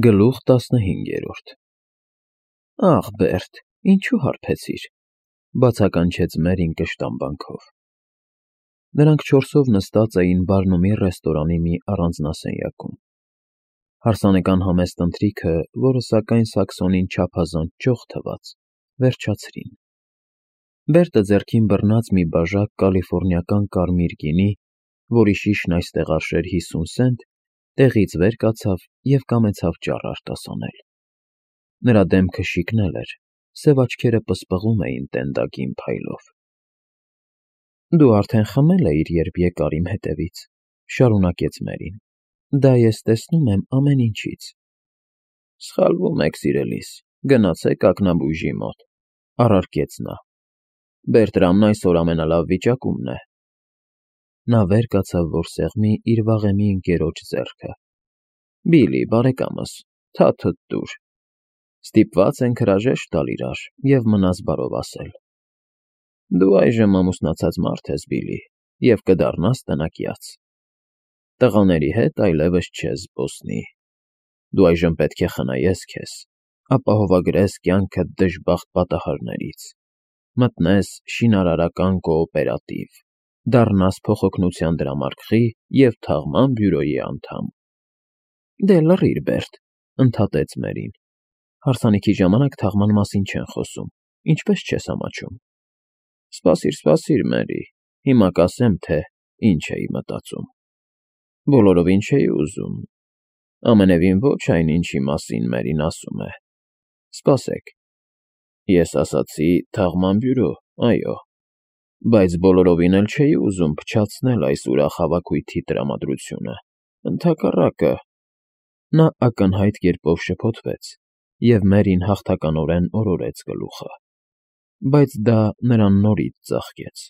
Գլուխ 15 Աղ, Բերտ, ինչու հարբեցիր, բացականչեց Մերին կշտամբանքով։ Նրանք չորսով նստած էին Բարնումի ռեստորանի մի առանձնասենյակում։ Հարսանեկան համեստ ընթրիքը, որը սակայն Սաքսոնին չափազանց ճոխ թվաց, վերջացրին։ Բերտը ձեռքին բռնած մի բաժակ կալիֆոռնիական կարմիր գինի, որի շիշն այստեղ արժեր 50 սենտ, տեղից վեր կացավ և կամեցավ ճառ արտասանել։ Նրա դեմքը շիկնել էր, սև աչքերը պսպղում էին տենդագին փայլով։ Դու արդեն խմել էիր, երբ եկար իմ հետևից, շարունակեց Մերին։ Դա ես տեսնում եմ ամեն ինչից։ Սխալվում եք, սիրելիս, գնացեք ակնաբույժի մոտ, առարկեց նա։ Բերտրամն այսօր ամենալավ վիճակումն է։ Նա վեր կացավ, որ սեղմի իր վաղեմի ընկերոջ ձեռքը։ Բիլի, բարեկամս, թաթդ տուր։ Ստիպված ենք հրաժեշտ տալ իրար և մնաս բարով ասել։ Դու այժմ ամուսնացած մարդ ես, Բիլի, և կդառնաս տնակյաց։ Տղաների հետ այլևս չես զբոսնի։ Դու այժմ պետք է խնայես քեզ, ապահովագրես կյանքդ դժբախտ պատահարներից, մտնես շինարարական կոոպերատիվ, դառնաս փոխօգնության դրամարկղի և թաղման բյուրոյի անդամ։ Դե լռիր, Բերտ, ընդհատեց Մերին։ Հարսանիքի ժամանակ թաղման մասին չեն խոսում, ինչպես չես ամաչում։ Սպասիր, Մերի, հիմա կասեմ, թե ինչ էի մտածում։ Բոլորովին չէի ուզում։ Ամենևին ոչ այն, ինչի մասին Մերին ասում է։ Սպասեք։ Ես ասացի թաղման բյուրո, այո, բայց բոլորովին էլ չէի ուզում փչացնել այս ուրախ հավաքույթի տրամադրությունը, ընդհակառակը։ Նա ակնհայտ կերպով շփոթվեց, և Մերին հաղթականորեն օրորեց գլուխը, բայց դա նրան նորից ծաղկեց։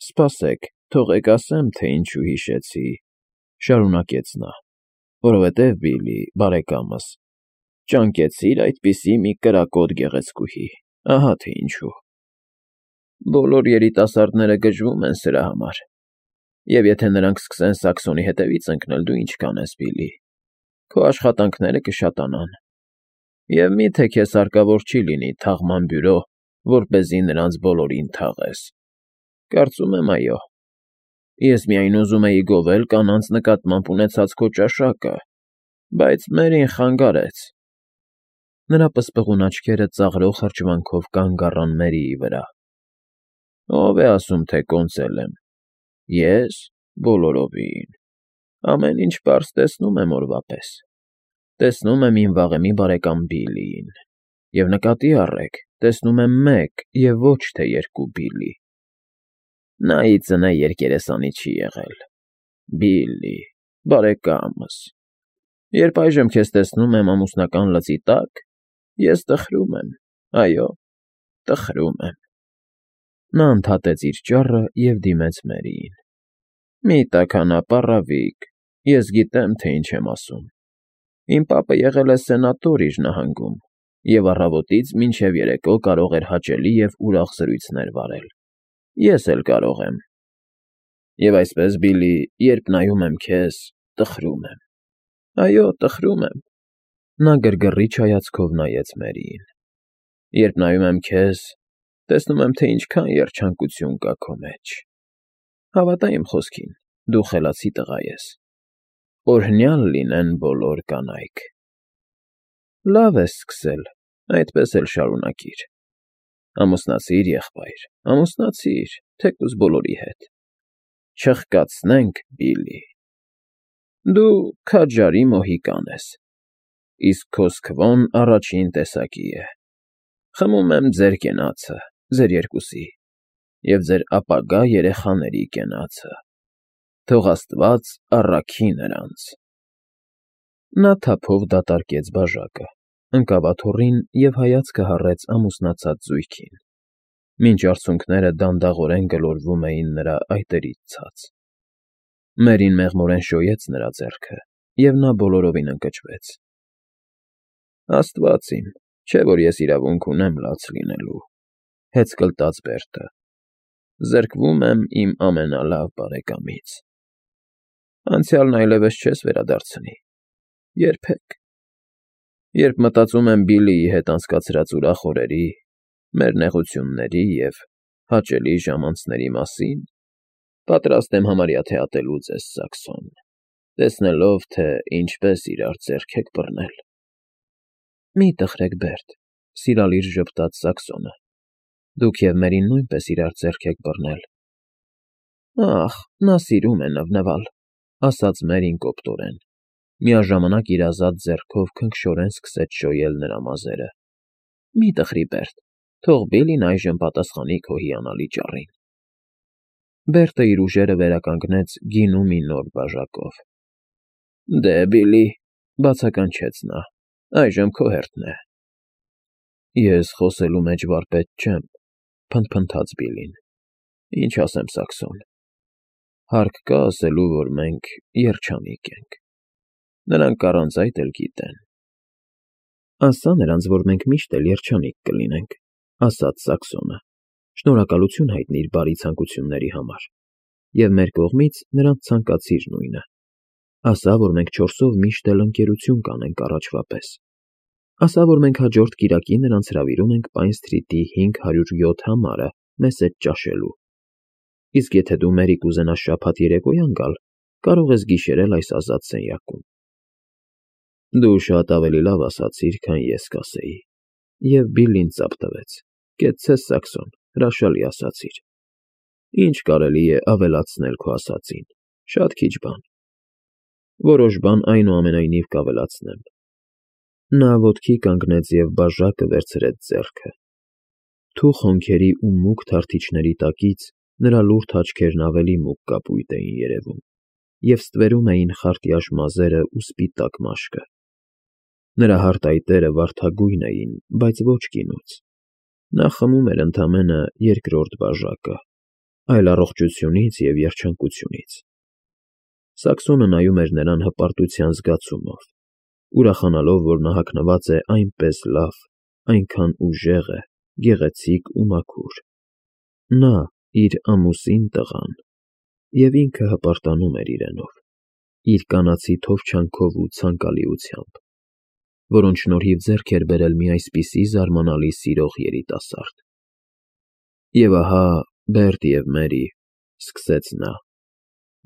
Սպասեք, թողեք ասեմ, թե ինչու հիշեցի, շարունակեց նա, որովհետև, Բիլի, բարեկամս, ճանկեցիր այդպիսի մի կրակոտ գեղեցկուհի, ահա թե ինչու։ Բոլոր երիտասարդները գժվում են սրա համար, և եթե նրանք սկսեն Սաքսոնի հետևից ընկնել, դու ինչ կանես, Բիլի, քո աշխատանքները կշատանան։ Եվ մի՞թե քեզ հարկավոր չի լինի թաղման բյուրո, որպեսզի նրանց բոլորին թաղես։ Կարծում եմ, այո։ Ես միայն ուզում էի գովել կանանց նկատմամբ ունեցած քո ճաշակը, բայց Մերին խանգարեց։ Նրա պսպղուն աչքերը ծաղրող հրճվանքով կանգ առան Մերիի վրա։ Ո՞վ է ասում, թե կոնծել եմ։ Ես բոլորովին։ Ամեն ինչ պարզ տեսնում եմ օրվա պես։ Տեսնում եմ իմ վաղեմի բարեկամ Բիլիին։ Եվ նկատի առեք, տեսնում եմ մեկ և ոչ թե երկու Բիլի։ Նա ի ծնե երկերեսանի չի եղել։ Բիլի, բարեկամս։ Երբ այժմ քեզ տեսնում եմ ամուսնական լծի տակ, ես տխրում եմ, այո, տխրում եմ։ Նա ընդհատեց իր ճառը և դիմեց Մերիին։ Մի տաքանա, պառավիկ, ես գիտեմ, թե ինչ եմ ասում։ Իմ պապը եղել է սենատոր իր նահանգում և առավոտից մինչև երեկո կարող էր հաճելի և ուրախ զրույցներ վարել։ Ես էլ կարող եմ։ Եվ այսպես, Բիլի, երբ նայում եմ քեզ, տխրում եմ։ Այո, տխրում եմ։ Նա գրգռիչ հայացքով նայեց Մերիին։ Երբ նայում եմ քեզ, տեսնում եմ, թե ինչքան երջանկություն կա քո մեջ։ Հավատա իմ խոսքին, դու խելացի տղա ես։ Օրհնյալ լինեն բոլոր կանայք։ Լավ ես սկսել, այդպես էլ շարունակիր։ Ամուսնացիր, եղբայր, ամուսնացիր, թեկուզ բոլորի հետ։ Չխկացնենք, Բիլի։ Դու քաջարի մոհիկան ես, իսկ քո սքվոն առաջին տեսակի է։ Խմում եմ ձեր կենացը, ձեր երկուսի, և ձեր ապագա երեխաների կենացը։ Թող Աստված առաքի նրանց։ Նա թափով դատարկեց բաժակը, ընկավ աթոռին և հայացքը հառեց ամուսնացած զույգին, մինչ արցունքները դանդաղորեն գլորվում էին նրա այտերից ցած։ Մերին մեղմորեն շոյեց նրա ձեռքը, և նա բոլորովին ընկճվեց։ Աստված իմ, չէ՞ որ ես իրավունք ունեմ լաց լինելու, հեծկլտաց Բերտը։ Զրկվում եմ իմ ամենալավ բարեկամից։ Անցյալն այլևս չես վերադարձնի։ երբեք։ Երբ մտածում եմ Բիլլիի հետ անցկացրած ուրախ օրերի, մեր նեղությունների և հաճելի ժամանցների մասին, պատրաստ եմ համարյա թե ատելու ձեզ, Սաքսոն, տեսնելով, թե ինչպես իրար ձեռք եք բռնել։ Մի տխրեք, Բերտ, սիրալիր ժպտաց Սաքսոնը, դուք և Մերին նույնպես իրար ձեռք եք բռնել։ Ախ, նա սիրում է նվնվալ, ասաց Մերին կոպտորեն, միաժամանակ իր ազատ ձեռքով քնքշորեն սկսեց շոյել նրա մազերը։ Մի տխրի, Բերտ, թող Բիլլին այժմ պատասխանի քո հիանալի ճառին։ Բերտը իր ուժերը վերականգնեց գինու մի նոր բաժակով։ Դե, Բիլլի, բացականչեց նա, այժմ քո հերթն է։ Ես խոսելու մեջ վարպետ չեմ, փնթփնթաց Բիլլին։ Ինչ ասեմ, Սաքսոն։ Հարկ կա ասելու, որ մենք երջանիկ ենք։ Նրանք առանց այդ էլ գիտեն։ Ասա նրանց, որ մենք միշտ էլ երջանիկ կլինենք, ասաց Սաքսոնը, շնորհակալություն հայտնիր բարի ցանկությունների համար, և մեր կողմից նրանց ցանկացիր նույնը։ Ասա, որ մենք չորսով միշտ էլ ընկերություն կանենք առաջվա պես։ Ասա, որ մենք հաջորդ կիրակի նրանց հրավիրում ենք Պայն Սթրիթի 507 համարը մեզ հետ ճաշելու։ Իսկ եթե դու Մերի կուզենաս շաբաթ երեկոյան գալ, կարող ես գիշերել այս ազատ սենյակում։ Դու շատ ավելի լավ ասացիր, քան ես կասեի, և Բիլլին ծափ տվեց։ Կեցցես, Սաքսոն, հրաշալի ասացիր։ Ինչ կարելի է ավելացնել քո ասածին, շատ քիչ բան։ Որոշ բան այնուամենայնիվ կավելացնեմ։ Նա ոտքի կանգնեց և բաժակը վերցրեց ձեռքը։ Թուխ հոնքերի ու մուգ թարթիչների տակից նրա լուրջ աչքերն ավելի մուգ կապույտ էին երևում և ստվերում էին խարտյաշ մազերն ու սպիտակ մաշկը։ Նրա հարթայտերը վարդագույն էին, բայց ոչ գինուց։ Նա խմում էր ընդամենը երկրորդ բաժակը, այլ առողջությունից և երջանկությունից։ Սաքսոնը նայում էր նրան հպարտության զգացումով, ուրախանալով, որ նա հագնված է այնպես լավ, այնքան ուժեղ է, գեղեցիկ ու մաքուր։ Նա, իր ամուսին տղան, և ինքը հպարտանում էր իրենով, իր կանացի թովչանքով ու ցանկալիությամբ, որոնց շնորհիվ ձեռք էր բերել մի այսպիսի զարմանալի սիրող երիտասարդ։ Եվ ահա, Բերտ և Մերի, սկսեց նա,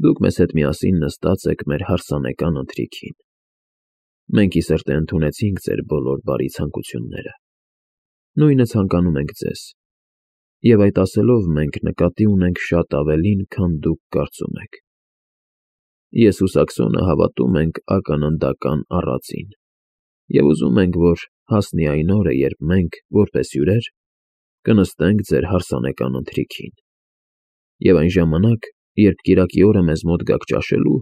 դուք մեզ հետ միասին նստած եք մեր հարսանեկան ընթրիքին։ Մենք ի սրտե ընդունեցինք ձեր բոլոր բարի ցանկությունները։ Նույնը ցանկանում ենք ձեզ։ Եվ այդ ասելով մենք նկատի ունենք շատ ավելին, քան դուք կարծում եք։ Ես ու Սաքսոնը հավատում ենք ականնդական առածին, և ուզում ենք, որ հասնի այն օրը, երբ մենք, որպես հյուրեր, կնստենք ձեր հարսանեկան ընթրիքին։ Եվ այն ժամանակ, երբ կիրակի օրը մեզ մոտ գաք ճաշելու,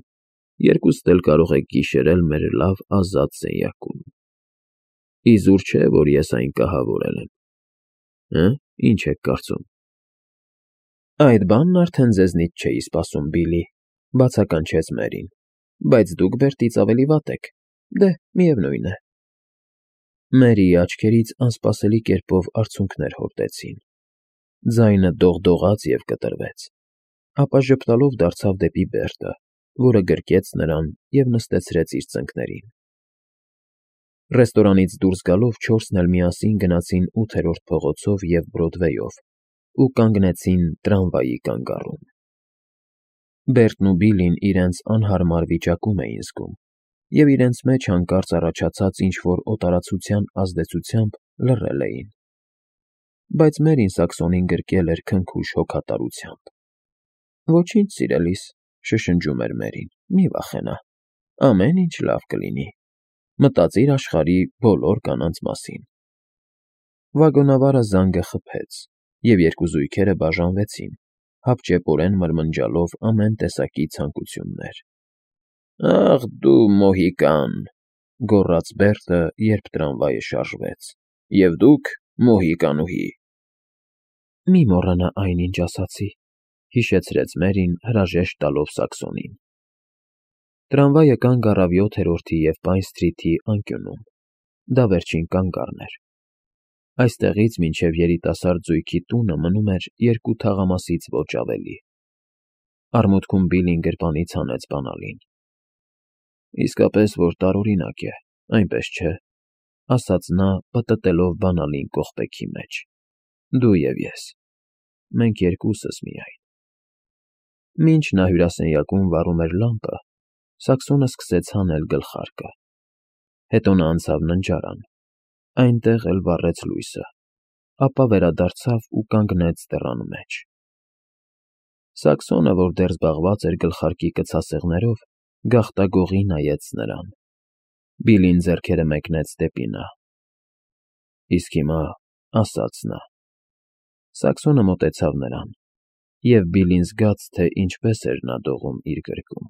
երկուստ էլ կարող եք գիշերել մեր լավ ազատ սենյակում։ Իզուր չէ, որ ես այն կահավորել եմ։ Ինչ եք կարծում։ Այդ բանն արդեն ձեզնից չէի սպասում, Բիլլի, բացականչեց Մերին, բայց դուք Բերտից ավելի վատ եք։ Դե, միևնույն է։ Մերիի աչքերից անսպասելի կերպով արցունքներ հորդեցին։ Ձայնը դողդողաց և կտրվեց, ապա ժպտալով դարձավ դեպի Բերտը, որը գրկեց նրան և նստեցրեց իր ծնկներին։ Ռեստորանից դուրս գալով չորսն էլ միասին գնացին 8-րդ փողոցով և Բրոդվեյով ու կանգնեցին տրամվայի կանգառում։ Բերտն ու Բիլլին իրենց անհարմար վիճակում էին զգում, և իրենց մեջ հանկարծ առաջացած ինչ-որ օտարացության ազդեցությամբ լռել էին։ Բայց Մերին Սաքսոնին գրկել էր քնքուշ հոգատարությամբ։ Ոչինչ, սիրելիս, շշնջում էր Մերին, մի վախենա, ամեն ինչ լավ կլինի։ Մտածիր աշխարհի բոլոր կանանց մասին։ Վագոնավարը զանգը խփեց, և երկու զույգերը բաժանվեցին, հապճեպորեն մրմնջալով ամեն տեսակի ցանկություններ։ Ախ դու մոհիկան, գոռաց Բերտը, երբ տրամվայը շարժվեց, և դուք մոհիկանուհի։ Մի մոռանա այն, ինչ ասացի, հիշեցրեց Մերին, հրաժեշտ տալով Սաքսոնին։ Տրամվայը կանգ առավ 7-րդի և Պայն Սթրիթի անկյունում։ Դա վերջին կանգառն էր։ Այստեղից մինչև երիտասարդ զույգի տունը մնում էր 2 թաղամասից ոչ ավելի։ Արմունկում Բիլլին գրպանից հանեց բանալին։ Իսկապես, որ տարօրինակ է, այնպես չէ, ասաց նա, պտտելով բանալին կողպեքի մեջ։ Դու և ես։ Մենք երկուսս միայն։ Մինչ նա հյուրասենյակում վառում էր լամպը, Սաքսոնը սկսեց հանել գլխարկը։ Հետո նա անցավ ննջարան, այնտեղ էլ վառեց լույսը, ապա վերադարձավ ու կանգնեց դռան մեջ։ Սաքսոնը, որ դեռ զբաղված էր գլխարկի կցասեղներով, գաղտագողի նայեց նրան։ Բիլլին ձեռքերը մեկնեց դեպի նա։ Իսկ հիմա, ասաց նա։ Սաքսոնը մոտեցավ նրան, և Բիլլին զգաց, թե ինչպես էր նա դողում իր գրկում։